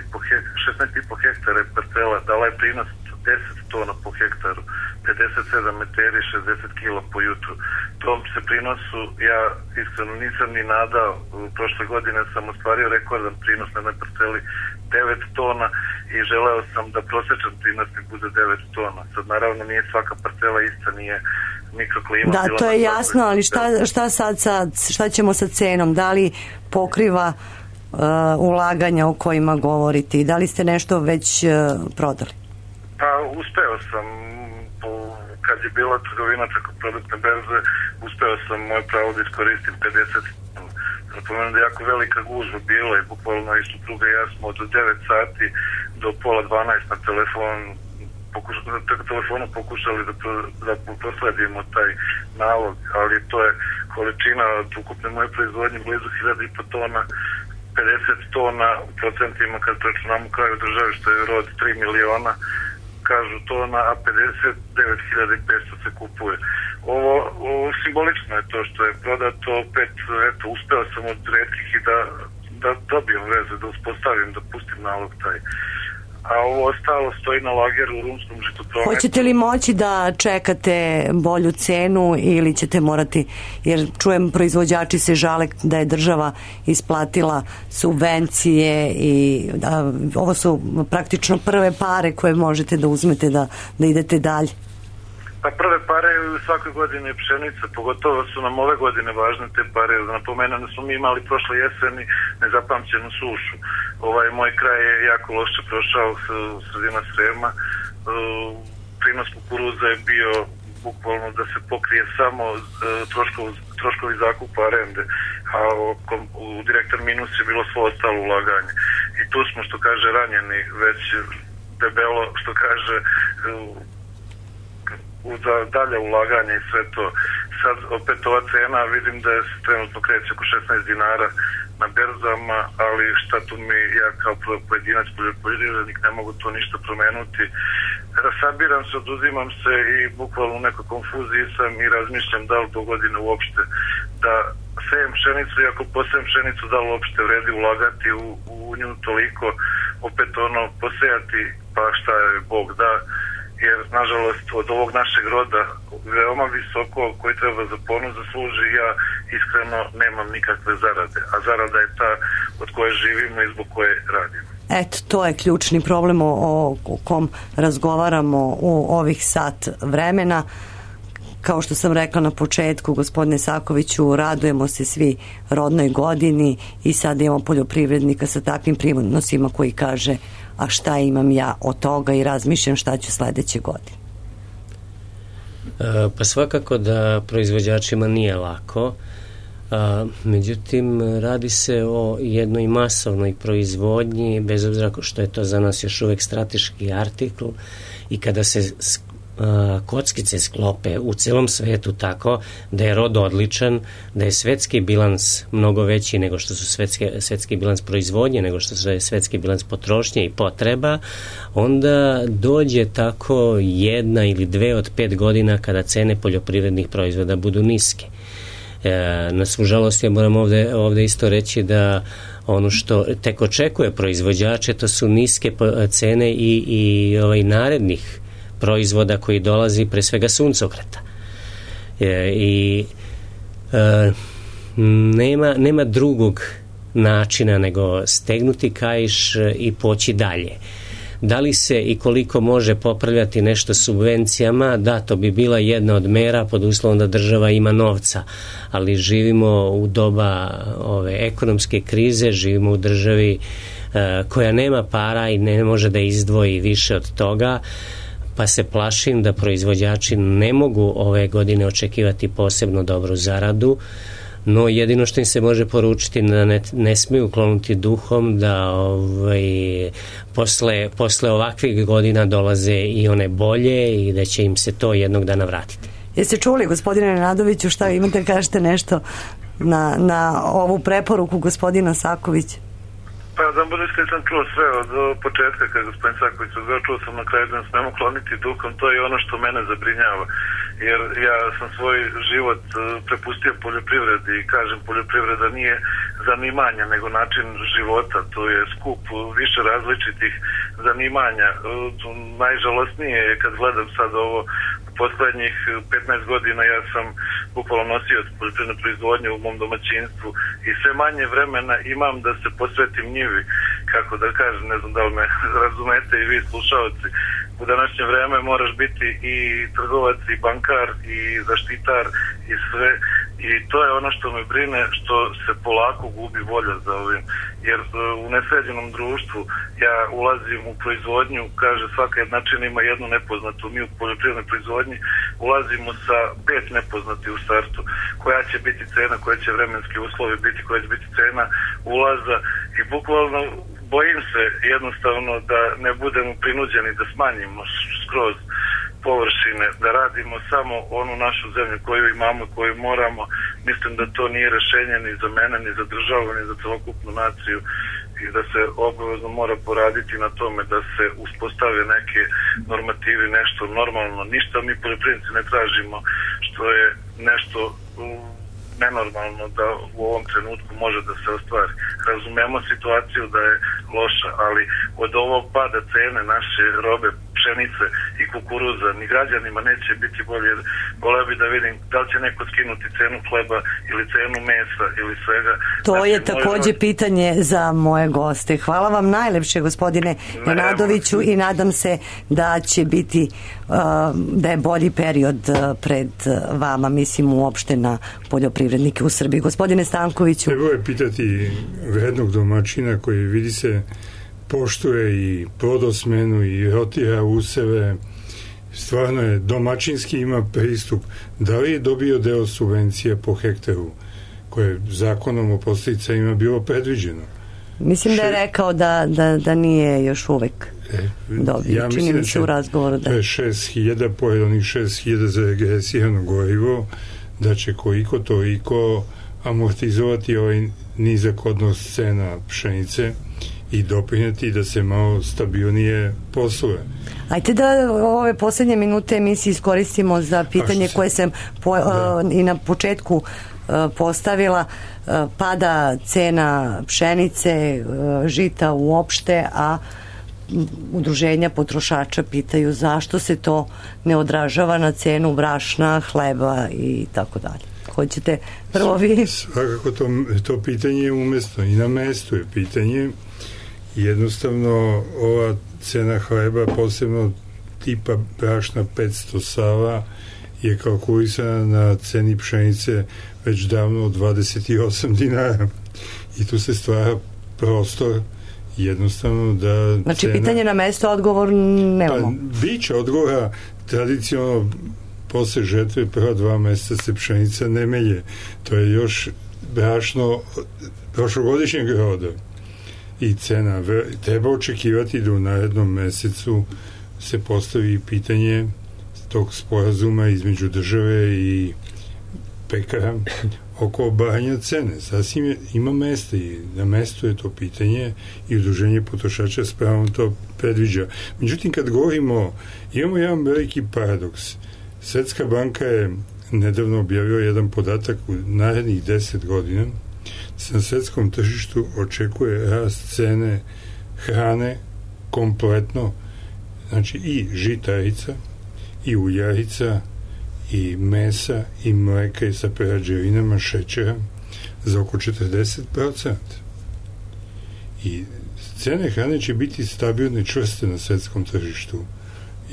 i po hektara parcela dala je prinos deset tona po hektaru, pedeset sedam meteri, šezdeset kila po jutru. Tom se prinosu ja iskreno nisam ni nadao. Prošle godine sam ostvario rekordan prinos na jednoj parceli devet tona i želeo sam da prosječan prinos mi bude devet tona. Sad naravno nije svaka parcela ista, nije mikroklima. Da, to je jasno, ali šta, šta sad, sad, šta ćemo sa cenom? Da li pokriva uh, ulaganja o kojima govorite i da li ste nešto već uh, prodali? Pa uspeo sam, kad je bila trgovina preko produktne berze, uspeo sam moje pravo da iskoristim pedeset. Napomenem da je jako velika gužva bila i bukvalno i supruga i ja smo od devet sati do pola dvanaest na telefon pokušali, telefonu pokušali da, da prosledimo taj nalog, ali to je količina od ukupne moje proizvodnje blizu hiljadu i po tona, pedeset tona u procentima kad računamo u kraju države što je rod tri miliona, kažu tona, a pedeset devet hiljada petsto se kupuje. Ovo, ovo simbolično je to što je prodato, opet, eto, uspeo sam od retkih i da, da dobijem veze, da uspostavim, da pustim nalog taj. A ovo ostalo stoji na lageru u rumskom žitoprometu. Hoćete li moći da čekate bolju cenu ili ćete morati, jer čujem proizvođači se žale da je država isplatila subvencije i da, ovo su praktično prve pare koje možete da uzmete da, da idete dalje. Pa prve pare u svakoj godini pšenica, pogotovo su nam ove godine važne te pare. Da napomenem da smo mi imali prošle jeseni nezapamćenu sušu. Ovaj moj kraj je jako loše prošao sredina Srema. Prinos kukuruza je bio bukvalno da se pokrije samo troškov, troškovi zakupa arende, a u direktan minus je bilo svo ostalo ulaganje. I tu smo, što kaže, ranjeni već debelo, što kaže, za dalje ulaganje i sve to. Sad opet ova cena vidim da je trenutno kreće oko šesnaest dinara na berzama, ali šta tu mi, ja kao pojedinac poljoprivrednik ne mogu to ništa promenuti. Rasabiram se, oduzimam se i bukvalno u nekoj konfuziji sam i razmišljam da li do godine uopšte da sejem pšenicu i ako posejem pšenicu da li uopšte vredi ulagati u, u nju toliko, opet ono posejati pa šta je Bog da, jer nažalost od ovog našeg roda veoma visoko koji treba za ponos da služi, ja iskreno nemam nikakve zarade, a zarada je ta od koje živimo i zbog koje radimo. Eto, to je ključni problem o, o kom razgovaramo u ovih sat vremena. Kao što sam rekla na početku, gospodine Sakoviću, radujemo se svi rodnoj godini i sad imamo poljoprivrednika sa takvim prinosima koji kaže a šta imam ja od toga i razmišljam šta ću sledeće godine. E, pa svakako da proizvođačima nije lako, a, međutim radi se o jednoj masovnoj proizvodnji, bez obzira što je to za nas još uvek strateški artikl i kada se kockice sklope u celom svetu tako da je rod odličan, da je svetski bilans mnogo veći nego što su svetske, svetski bilans proizvodnje, nego što je svetski bilans potrošnje i potreba, onda dođe tako jedna ili dve od pet godina kada cene poljoprivrednih proizvoda budu niske. E, na svu žalost ja moram ovde, ovde isto reći da ono što tek očekuje proizvođače to su niske cene i, i ovaj, narednih proizvoda koji dolazi pre svega suncokreta. E, I e, nema, nema drugog načina nego stegnuti kaiš i poći dalje. Da li se i koliko može popravljati nešto subvencijama? Da, to bi bila jedna od mera pod uslovom da država ima novca, ali živimo u doba ove ekonomske krize, živimo u državi e, koja nema para i ne može da izdvoji više od toga, pa se plašim da proizvođači ne mogu ove godine očekivati posebno dobru zaradu. No jedino što im se može poručiti da ne, ne smiju klonuti duhom, da ovaj, posle, posle ovakvih godina dolaze i one bolje i da će im se to jednog dana vratiti. Jeste čuli, gospodine Nenadoviću, šta imate, kažete nešto na, na ovu preporuku gospodina Sakovića? Pa da budem sam čuo sve od početka kada gospodin Saković odgao, čuo sam na kraju da nas nemo kloniti duhom, to je ono što mene zabrinjava, jer ja sam svoj život prepustio poljoprivredi i kažem, poljoprivreda nije zanimanja nego način života, to je skup više različitih zanimanja. Najžalosnije je kad gledam sad ovo poslednjih petnaest godina, ja sam bukvalno nosio poljoprivrednu proizvodnju u mom domaćinstvu i sve manje vremena imam da se posvetim njivi, kako da kažem, ne znam da li me razumete i vi slušalci. U današnje vreme moraš biti i trgovac i bankar i zaštitar i sve, i to je ono što me brine, što se polako gubi volja za ovim, jer u nesređenom društvu ja ulazim u proizvodnju, kaže svaka jednačina ima jednu nepoznatu, mi u poljoprivrednoj proizvodnji ulazimo sa pet nepoznati u startu, koja će biti cena, koje će vremenski uslovi biti, koja će biti cena ulaza, i bukvalno bojim se jednostavno da ne budemo prinuđeni da smanjimo skroz površine, da radimo samo onu našu zemlju koju imamo, koju moramo. Mislim da to nije rešenje ni za mene, ni za državu, ni za celokupnu naciju, i da se obavezno mora poraditi na tome da se uspostave neke normativi, nešto normalno. Ništa mi poljoprivrednici ne tražimo što je nešto nenormalno da u ovom trenutku može da se ostvari. Razumemo situaciju da je loša, ali od ovog pada cene naše robe, pšenice i kukuruza, ni građanima neće biti bolje. Voleo bi da vidim da li će neko skinuti cenu hleba ili cenu mesa ili svega. To znači, je takođe moj... pitanje za moje goste. Hvala vam najlepše, gospodine Nenadoviću, i nadam se da će biti uh, da je bolji period pred vama, mislim uopšte na poljoprivrednike u Srbiji. Gospodine Stankoviću. Treba je pitati vrednog domaćina koji vidi se poštuje i plodosmenu i rotira useve, stvarno je domaćinski, ima pristup. Da li je dobio deo subvencija po hektaru koje zakonom o podsticajima bilo predviđeno? Mislim da je rekao da, da, da nije još uvek e, dobio. Ja Čini mi se u razgovoru da... To je šest hiljada, pored onih šest hiljada za regresirano gorivo, da će koliko toliko amortizovati ovaj nizak odnos cena pšenice i doprinjeti da se malo stabilnije posluje. Ajte da ove poslednje minute emisije iskoristimo za pitanje koje sam po, da. uh, i na početku uh, postavila. Uh, pada cena pšenice, uh, žita uopšte, a udruženja potrošača pitaju zašto se to ne odražava na cenu brašna, hleba i tako dalje. Hoćete prvo vi? Svakako to, to pitanje je umestno i na mestu je pitanje. Jednostavno ova cena hleba, posebno tipa brašna petsto sava, je kalkulisana na ceni pšenice već davno od dvadeset osam dinara, i tu se stvara prostor jednostavno da znači cena... pitanje na mesto, odgovor nemamo. Pa, biće odgovora. Tradicionalno posle žetve prva dva meseca se pšenica ne melje, to je još brašno prošlogodišnjeg roda i cena. Treba očekivati da u narednom mesecu se postavi pitanje tog sporazuma između države i pekara oko obajanja cene. Sasvim je, ima mesta i na mestu je to pitanje i udruženje potrošača s pravom to predviđa. Međutim, kad govorimo, imamo jedan veliki paradoks. Svetska banka je nedavno objavila jedan podatak u narednih deset godina se na svetskom tržištu očekuje rast cene hrane kompletno, znači i žitarica, i uljarica, i mesa, i mleka, i sa prerađevinama, šećera, za oko četrdeset procenta. I cene hrane će biti stabilne i čvrste na svetskom tržištu.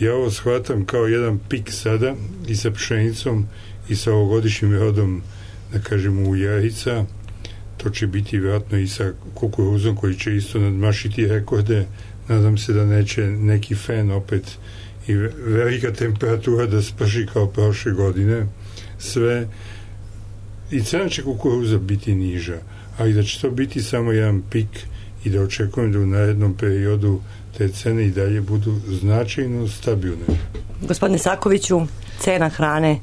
Ja ovo shvatam kao jedan pik sada i sa pšenicom i sa ovogodišnjim rodom, da kažemo, ujarica. To će biti vjerojatno i sa kukuruzom koji će isto nadmašiti rekorde. Nadam se da neće neki fen opet i velika temperatura da sprši kao prošle godine. Sve. I cena će kukuruza biti niža, ali da će to biti samo jedan pik i da očekujem da u narednom periodu te cene i dalje budu značajno stabilne. Gospodine Sakoviću, cena hrane,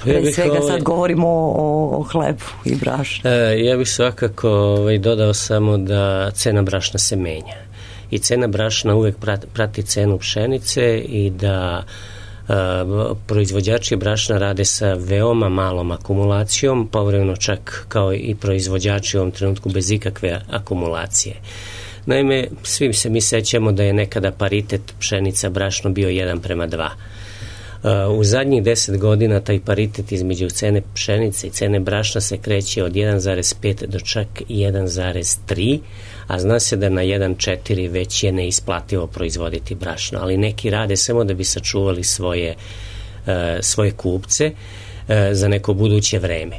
pre ja svega ovaj, sad govorimo o, o hlebu i brašnu. E, ja bih svakako ovaj, dodao samo da cena brašna se menja. I cena brašna uvek prati, prati cenu pšenice i da a, proizvođači brašna rade sa veoma malom akumulacijom, povremeno čak kao i proizvođači u ovom trenutku bez ikakve akumulacije. Naime, svim se mi sećamo da je nekada paritet pšenica brašno bio jedan prema dva. U zadnjih deset godina taj paritet između cene pšenice i cene brašna se kreće od jedan zarez pet do čak jedan zarez tri, a zna se da na jedan zarez četiri već je neisplativo proizvoditi brašno, ali neki rade samo da bi sačuvali svoje, svoje kupce za neko buduće vreme.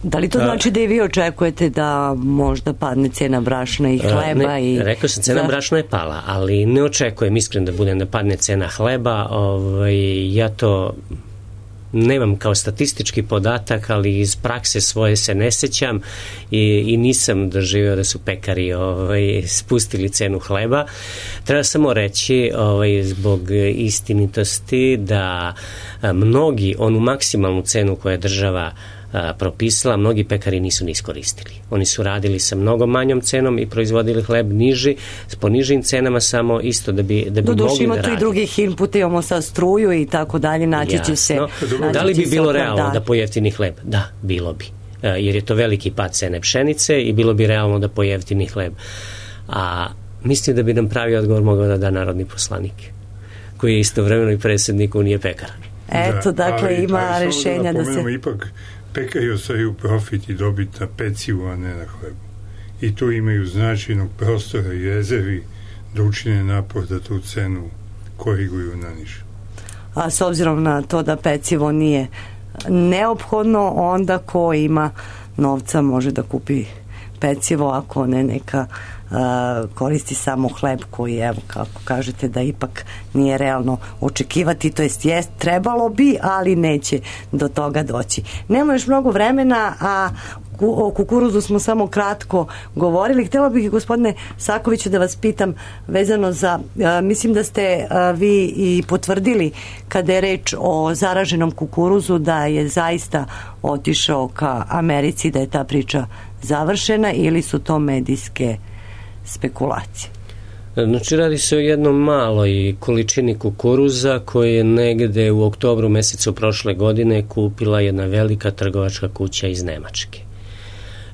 Da li to znači da i vi očekujete da možda padne cena brašna i hleba? Ne, i... Rekao sam, cena brašna je pala, ali ne očekujem iskren da budem da padne cena hleba. Ovaj, ja to nemam kao statistički podatak, ali iz prakse svoje se ne sećam i, i nisam doživio da su pekari ovaj, spustili cenu hleba. Treba samo reći ovaj, zbog istinitosti da a, mnogi onu maksimalnu cenu koju je država a, propisala, mnogi pekari nisu ni iskoristili. Oni su radili sa mnogo manjom cenom i proizvodili hleb niži, s ponižim cenama samo isto da bi, da bi Doduši, mogli da radi. Ima tu i drugih inputa, imamo sa struju i tako dalje, naći će se... Naći da li bi bilo realno da, da pojeftini hleb? Da, bilo bi. Jer je to veliki pad cene pšenice i bilo bi realno da pojeftini hleb. A mislim da bi nam pravi odgovor mogao da da narodni poslanik, koji je istovremeno i predsjednik Unije pekara. Eto, da, dakle, ali, ima ali, rešenja da, da se... Ipak, pekari ostaju profit i dobit na pecivu, a ne na hlebu. I tu imaju značajnog prostora i rezervi da učine napor da tu cenu koriguju na niže. A s obzirom na to da pecivo nije neophodno, onda ko ima novca može da kupi pecivo, ako ne neka uh, koristi samo hleb koji, evo, kako kažete, da ipak nije realno očekivati, to jest jest, trebalo bi, ali neće do toga doći. Nema još mnogo vremena, a o kukuruzu smo samo kratko govorili. Htjela bih, gospodine Sakoviću, da vas pitam vezano za, uh, mislim da ste uh, vi i potvrdili kada je reč o zaraženom kukuruzu da je zaista otišao ka Americi, da je ta priča završena, ili su to medijske spekulacije? Znači, radi se o jednom maloj količini kukuruza koje je negde u oktobru mesecu prošle godine kupila jedna velika trgovačka kuća iz Nemačke.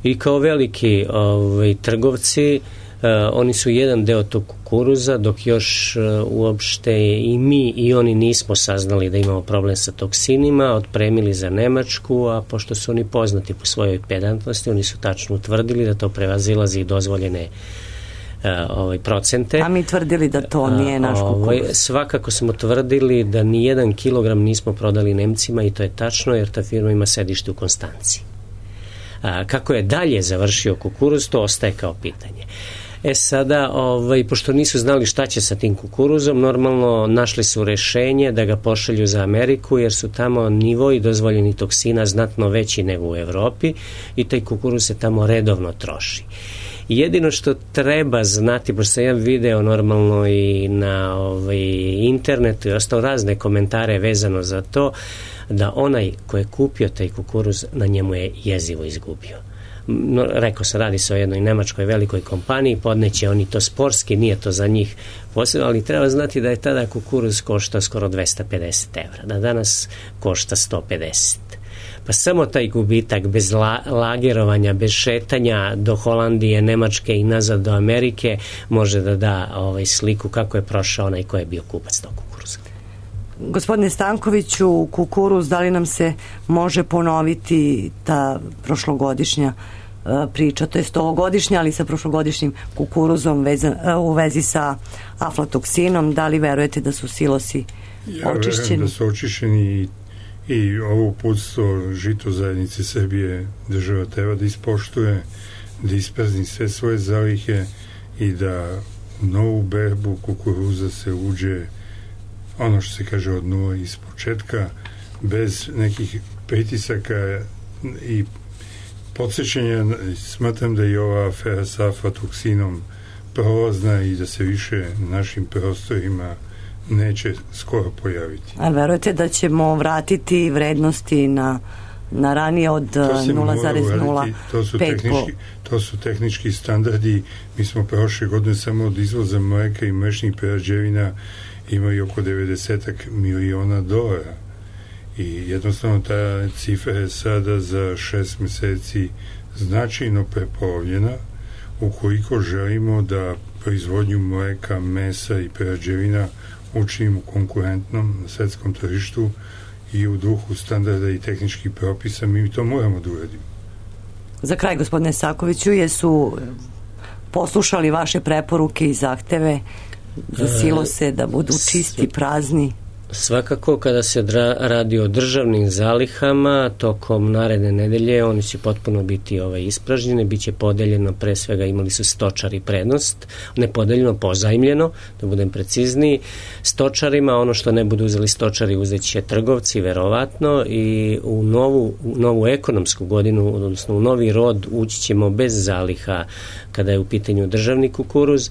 I kao veliki ovaj, trgovci, Uh, oni su jedan deo tog kukuruza, dok još uh, uopšte i mi i oni nismo saznali da imamo problem sa toksinima, otpremili za Nemačku, a pošto su oni poznati po svojoj pedantnosti, oni su tačno utvrdili da to prevazilazi dozvoljene uh, ovaj, procente. A mi tvrdili da to nije naš kukuruz. Ovaj, svakako smo tvrdili da ni jedan kilogram nismo prodali Nemcima, i to je tačno, jer ta firma ima sedište u Konstanciji. A, kako je dalje završio kukuruz, to ostaje kao pitanje. E sada, ovaj, pošto nisu znali šta će sa tim kukuruzom, normalno našli su rešenje da ga pošalju za Ameriku, jer su tamo nivoi dozvoljeni toksina znatno veći nego u Evropi i taj kukuruz se tamo redovno troši. Jedino što treba znati, pošto sam ja video normalno i na ovaj, internetu i ostao razne komentare vezano za to, da onaj ko je kupio taj kukuruz, na njemu je jezivo izgubio. No, rekao sam, radi se o jednoj nemačkoj velikoj kompaniji, podneće oni to sportski, nije to za njih posebno, ali treba znati da je tada kukuruz košta skoro dvesta pedeset evra, da danas košta sto pedeset. Pa samo taj gubitak bez la, lagerovanja, bez šetanja do Holandije, Nemačke i nazad do Amerike može da da ovaj, sliku kako je prošao onaj ko je bio kupac tog kukuruza. Gospodine Stankoviću, kukuruz, da li nam se može ponoviti ta prošlogodišnja priča, to je ovogodišnja, ali sa prošlogodišnjim kukuruzom vezan, u vezi sa aflatoksinom, da li verujete da su silosi ja očišćeni? Ja verujem da su očišćeni i, i ovo uputstvo Žito zajednice Srbije država treba da ispoštuje, da isprazni sve svoje zalihe i da u novu berbu kukuruza se uđe ono što se kaže od nula iz početka, bez nekih pritisaka i podsjećanja. Smatram da je ova afera sa aflatoksinom prolazna i da se više na našim prostorima neće skoro pojaviti. A verujete da ćemo vratiti vrednosti na, na ranije od nula zarez nula pet? To, to su tehnički standardi. Mi smo prošle godine samo od izvoza mleka i mlečnih prerađevina imali oko devedeset miliona dolara. I jednostavno ta cifra je sada za šest meseci značajno prepolovljena ukoliko želimo da proizvodnju mleka, mesa i prerađevina učinimo konkurentnom na svetskom tržištu i u duhu standarda i tehničkih propisa. Mi to moramo da uradimo. Za kraj, gospodine Sakoviću, jesu poslušali vaše preporuke i zahteve za silose da budu čisti, prazni? Svakako, kada se dra, radi o državnim zalihama, tokom naredne nedelje oni će potpuno biti ovaj, ispražnjene, bit će podeljeno, pre svega imali su stočari prednost, ne podeljeno, pozajmljeno, da budem precizniji, stočarima, ono što ne budu uzeli stočari uzet će trgovci, verovatno, i u novu, u novu ekonomsku godinu, odnosno u novi rod ući ćemo bez zaliha kada je u pitanju državni kukuruz.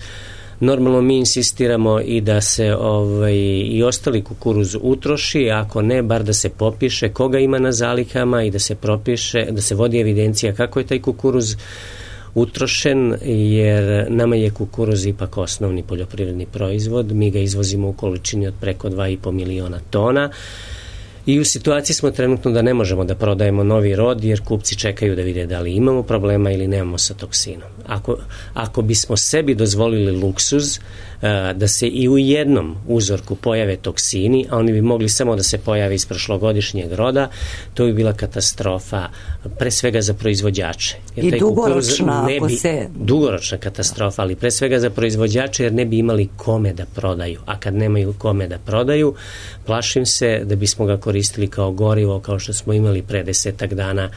Normalno mi insistiramo i da se ovaj, i ostali kukuruz utroši, ako ne, bar da se popiše koga ima na zalihama i da se propiše, da se vodi evidencija kako je taj kukuruz utrošen, jer nama je kukuruz ipak osnovni poljoprivredni proizvod, mi ga izvozimo u količini od preko dva i po miliona tona. I u situaciji smo trenutno da ne možemo da prodajemo novi rod, jer kupci čekaju da vide da li imamo problema ili nemamo sa toksinom. Ako, ako bismo sebi dozvolili luksuz da se i u jednom uzorku pojave toksini, a oni bi mogli samo da se pojave iz prošlogodišnjeg roda, to bi bila katastrofa, pre svega za proizvođače. Jer I taj dugoročna, ne ako bi, se... Dugoročna katastrofa, ali pre svega za proizvođače, jer ne bi imali kome da prodaju. A kad nemaju kome da prodaju, plašim se da bismo ga koristili kao gorivo, kao što smo imali pre desetak dana,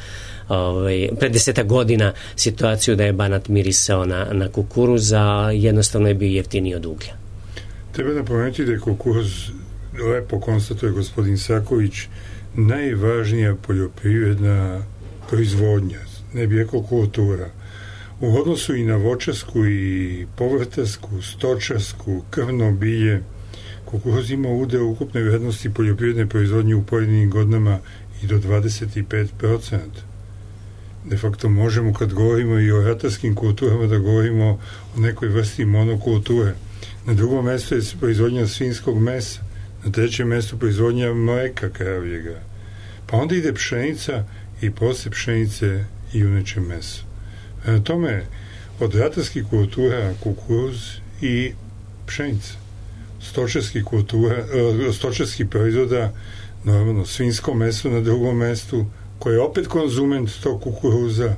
ovaj, pre desetak godina situaciju da je Banat mirisao na, na kukuruz, a jednostavno je bio jeftiniji od uglja. Treba napomenuti da je kukuruz, lepo konstatuje gospodin Saković, najvažnija poljoprivredna proizvodnja, ne bi rekao kultura. U odnosu i na voćarsku i povrtarsku, stočarsku, krvno bilje, kukuruz ima udeo ukupne vrednosti poljoprivredne proizvodnje u pojedinim godinama i do dvadeset pet procenta. De facto možemo, kad govorimo i o ratarskim kulturama, da govorimo o nekoj vrsti monokulture. Na drugom mjestu je proizvodnja svinjskog mesa, na trećem mjestu proizvodnja mleka kravljega. Pa onda ide pšenica i posle pšenice i juneće meso. Na tome, od ratarskih kultura kukuruz i pšenica. Stočarskih kultura, stočarskih proizvoda, normalno svinjsko meso na drugom mestu, koje je opet konzument tog kukuruza,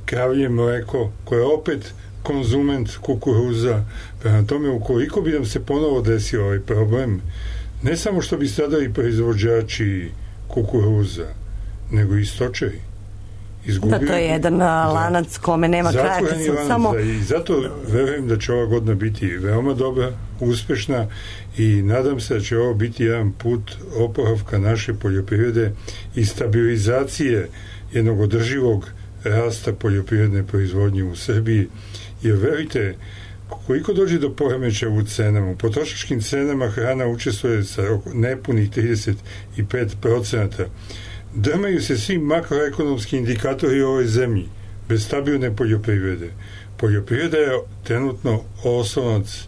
kravlje mleko, koje je opet konzument kukuruza. Prema tome, ukoliko bi nam se ponovo desio ovaj problem, ne samo što bi stradali proizvođači kukuruza, nego i stočari. Da, to je jedan lanac kome nema kraja. Samo... I zato verujem da će ova godina biti veoma dobra, uspešna, i nadam se da će ovo biti jedan put oporavka naše poljoprivrede i stabilizacije jednog održivog rasta poljoprivredne proizvodnje u Srbiji. Jer verujte, koliko dođe do poremećaja u cenama, u potrošačkim cenama hrana učestvuje sa nepunih trideset pet procenta. Drmaju se svi makroekonomski indikatori u ovoj zemlji bez stabilne poljoprivrede. Poljoprivreda je trenutno oslonac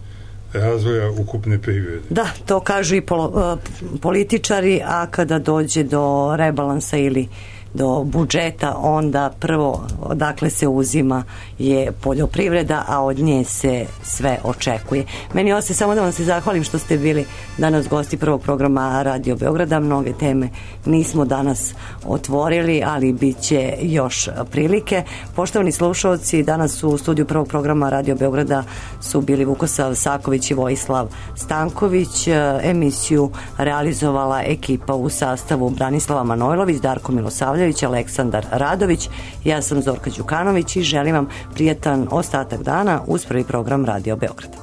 razvoja ukupne privrede. Da, to kažu i polo, političari, a kada dođe do rebalansa ili do budžeta, onda prvo odakle se uzima je poljoprivreda, a od nje se sve očekuje. Meni ostaje samo da vam se zahvalim što ste bili danas gosti prvog programa Radio Beograda. Mnoge teme nismo danas otvorili, ali bit će još prilike. Poštovani slušalci, danas u studiju prvog programa Radio Beograda su bili Vukosav Saković i Vojislav Stanković. Emisiju realizovala ekipa u sastavu Branislava Manojlović, Darko Milosavljević, Aleksandar Radović. Ja sam Zorka Đukanović i želim vam prijatan ostatak dana uz prvi program Radio Beograda.